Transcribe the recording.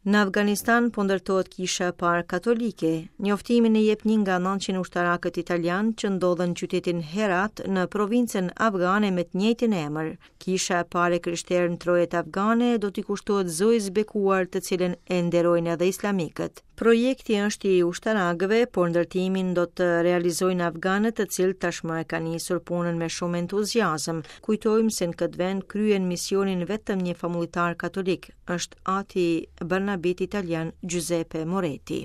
Në Afganistan po ndërtohet kisha e parë katolike. Njoftimin e jep një nga 900 ushtarakët italianë që ndodhen në qytetin Herat në provincën afgane me të njëjtin emër. Kisha e parë e krishterë në trojet afgane do t'i kushtohet Zojës Bekuar, të cilën e nderojnë edhe islamikët. Projekti është i ushtarakëve, por ndërtimin do të realizojnë afganët, të cilët tashmë e kanë nisur punën me shumë entuziazëm. Kujtojmë se në këtë vend kryen misionin vetëm një famullitar katolik, është ati Barnabit italian Giuseppe Moretti.